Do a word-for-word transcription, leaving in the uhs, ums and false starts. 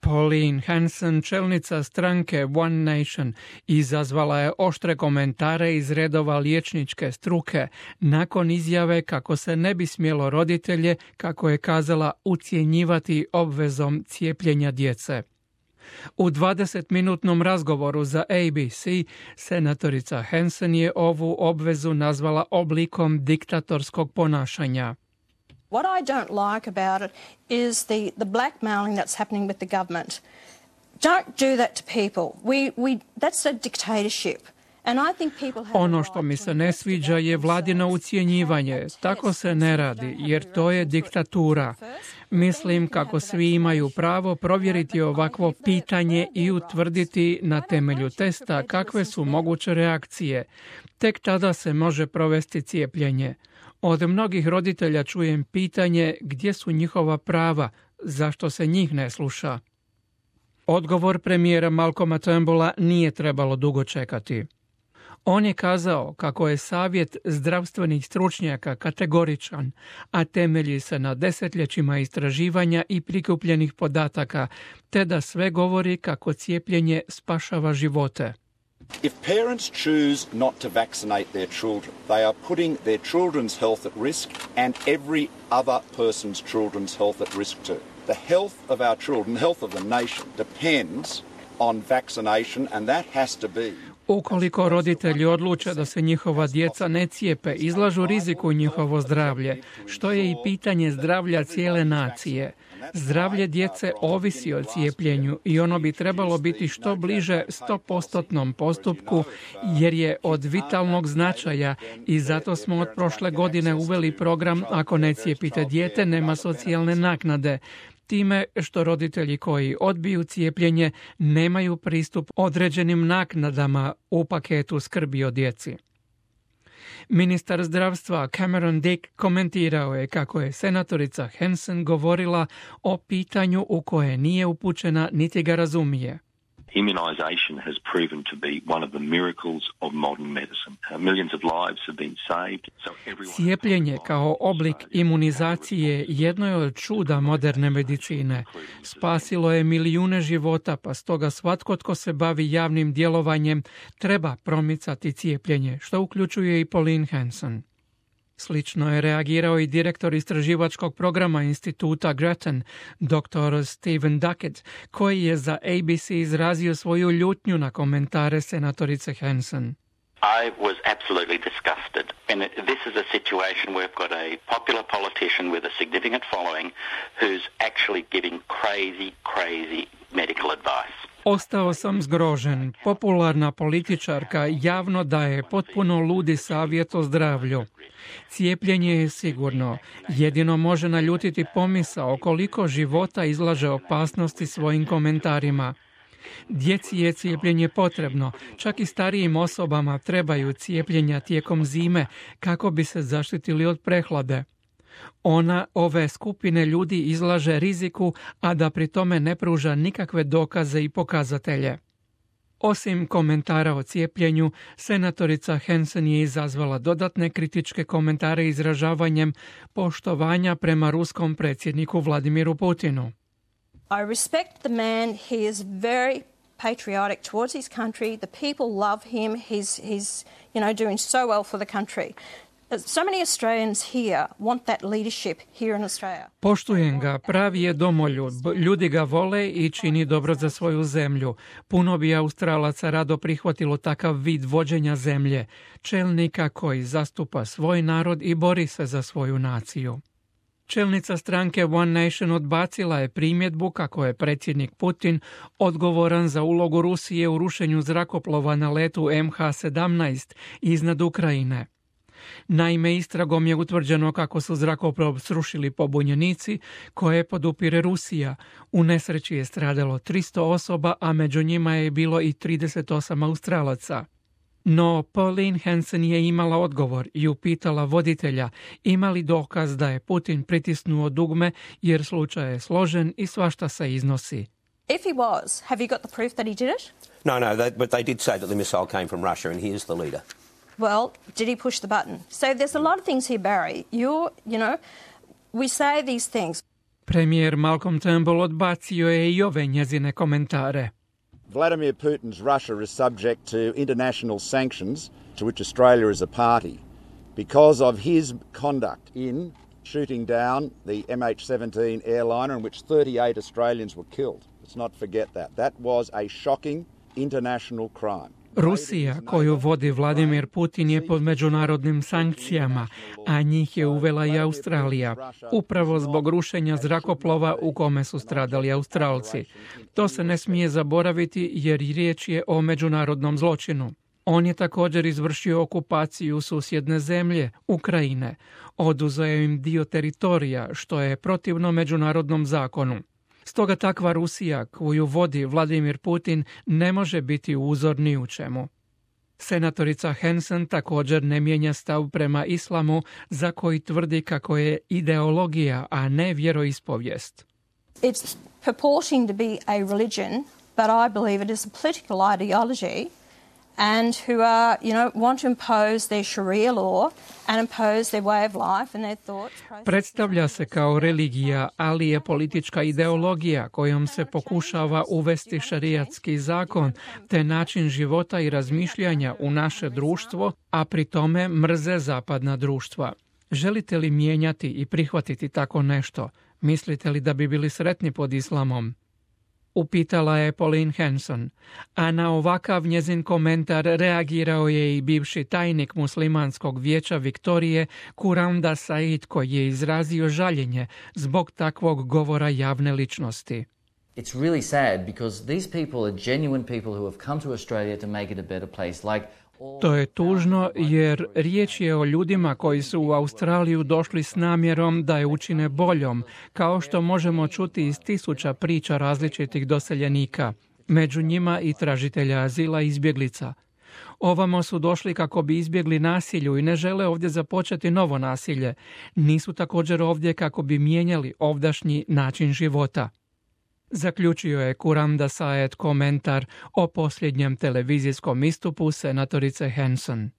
Pauline Hanson, čelnica stranke One Nation, izazvala je oštre komentare iz redova liječničke struke nakon izjave kako se ne bi smjelo roditelje, kako je kazala, ucjenjivati obvezom cijepljenja djece. U dvadesetminutnom razgovoru za A B C, senatorica Hanson je ovu obvezu nazvala oblikom diktatorskog ponašanja. What I don't like about it is the, the blackmailing that's happening with the government. Don't do that to people. We, we, that's a dictatorship. And I think people have Ono što mi se ne sviđa je vladino ucjenjivanje. Tako se ne radi, jer to je diktatura. Mislim kako svi imaju pravo provjeriti ovakvo pitanje i utvrditi na temelju testa kakve su moguće reakcije. Tek tada se može provesti cijepljenje. Od mnogih roditelja čujem pitanje gdje su njihova prava, zašto se njih ne sluša. Odgovor premijera Malcolma Turnbulla nije trebalo dugo čekati. On je kazao kako je savjet zdravstvenih stručnjaka kategoričan, a temelji se na desetljećima istraživanja i prikupljenih podataka, te da sve govori kako cijepljenje spašava živote. If parents choose not to vaccinate their children, they are putting their children's health at risk and every other person's children's health at risk too. The health of our children, the health of the nation depends on vaccination and that has to be. Ukoliko roditelji odluče da se njihova djeca ne cijepe, izlažu riziku njihovo zdravlje, što je i pitanje zdravlja cijele nacije. Zdravlje djece ovisi o cijepljenju i ono bi trebalo biti što bliže sto postotnom postupku jer je od vitalnog značaja i zato smo od prošle godine uveli program Ako ne cijepite dijete, nema socijalne naknade. Time što roditelji koji odbiju cijepljenje nemaju pristup određenim naknadama u paketu skrbi o djeci. Ministar zdravstva Cameron Dick komentirao je kako je senatorica Hanson govorila o pitanju u koje nije upućena niti ga razumije. Immunization has proven to be one of the miracles of modern medicine. Uh, millions of lives have been saved. So everyone... Cijepljenje kao oblik imunizacije jedno je od čuda moderne medicine. Spasilo je milijune života, pa stoga svatko tko se bavi javnim djelovanjem treba promicati cijepljenje, što uključuje i Pauline Hanson. Slično je reagirao i direktor istraživačkog programa instituta Grattan, doktor Stephen Duckett, koji je za A B C izrazio svoju ljutnju na komentare senatorice Hanson. I was absolutely disgusted. And this is a situation where we've got a popular politician with a significant following who's actually giving crazy, crazy medical advice. Ostao sam zgrožen. Popularna političarka javno daje potpuno ludi savjet o zdravlju. Cijepljenje je sigurno. Jedino može naljutiti pomisao koliko života izlaže opasnosti svojim komentarima. Djeci je cijepljenje potrebno, čak i starijim osobama trebaju cijepljenja tijekom zime kako bi se zaštitili od prehlade. Ona ove skupine ljudi izlaže riziku, a da pri tome ne pruža nikakve dokaze i pokazatelje. Osim komentara o cijepljenju, senatorica Hanson je izazvala dodatne kritičke komentare izražavanjem poštovanja prema ruskom predsjedniku Vladimiru Putinu. I respect the man. He is very patriotic towards his country. The people love him. He's, he's, you know, doing so well for the country. So many Australians here want that leadership here in Australia. Poštujem ga, pravi je domoljub, ljudi ga vole i čini dobro za svoju zemlju. Puno bi Australaca rado prihvatilo takav vid vođenja zemlje, čelnika koji zastupa svoj narod i bori se za svoju naciju. Čelnica stranke One Nation odbacila je primjedbu kako je predsjednik Putin odgovoran za ulogu Rusije u rušenju zrakoplova na letu M H sedamnaest iznad Ukrajine. Naime, istragom je utvrđeno kako su zrakoplov srušili pobunjenici koje podupire Rusija. U nesreći je stradalo tristo osoba, a među njima je bilo i trideset osam Australaca. No, Pauline Hanson je imala odgovor i upitala voditelja ima li dokaz da je Putin pritisnuo dugme jer slučaj je složen i svašta se iznosi. If he was, have you got the proof that he did it? No, no, they, but they did say that the missile came from Russia and he is the leader. Well, did he push the button? So there's a lot of things here, Barry. You're, you know, we say these things. Premijer Malcolm Turnbull odbacio je i ove njezine komentare. Vladimir Putin's Russia is subject to international sanctions to which Australia is a party because of his conduct in shooting down the M H seventeen airliner in which thirty-eight Australians were killed. Let's not forget that. That was a shocking international crime. Rusija, koju vodi Vladimir Putin, je pod međunarodnim sankcijama, a njih je uvela i Australija, upravo zbog rušenja zrakoplova u kome su stradali Australci. To se ne smije zaboraviti jer riječ je o međunarodnom zločinu. On je također izvršio okupaciju susjedne zemlje, Ukrajine. Oduzeo im dio teritorija, što je protivno međunarodnom zakonu. Stoga takva Rusija, koju vodi Vladimir Putin, ne može biti uzor ni u čemu. Senatorica Hanson također ne mijenja stav prema islamu, za koji tvrdi kako je ideologija, a ne vjeroispovijest. It's purporting to be a religion, but I believe it is a political ideology. And who are, you know, want to impose their Sharia law and impose their way of life and their thoughts. Predstavlja se kao religija, ali je politička ideologija kojom se pokušava uvesti šarijatski zakon te način života i razmišljanja u naše društvo, a pri tome mrze zapadna društva. Želite li mijenjati i prihvatiti tako nešto? Mislite li da bi bili sretni pod islamom? Upitala je Pauline Hanson, a na ovakav njezin komentar reagirao je i bivši tajnik muslimanskog vijeća Viktorije Kuranda Said, koji je izrazio žaljenje zbog takvog govora javne ličnosti. It's really sad because these people are genuine people who have come to Australia to make it a better place. Like To je tužno jer riječ je o ljudima koji su u Australiju došli s namjerom da je učine boljom, kao što možemo čuti iz tisuća priča različitih doseljenika, među njima i tražitelja azila i izbjeglica. Ovamo su došli kako bi izbjegli nasilju i ne žele ovdje započeti novo nasilje. Nisu također ovdje kako bi mijenjali ovdašnji način života. Zaključio je Kuranda Said komentar o posljednjem televizijskom istupu senatorice Hanson.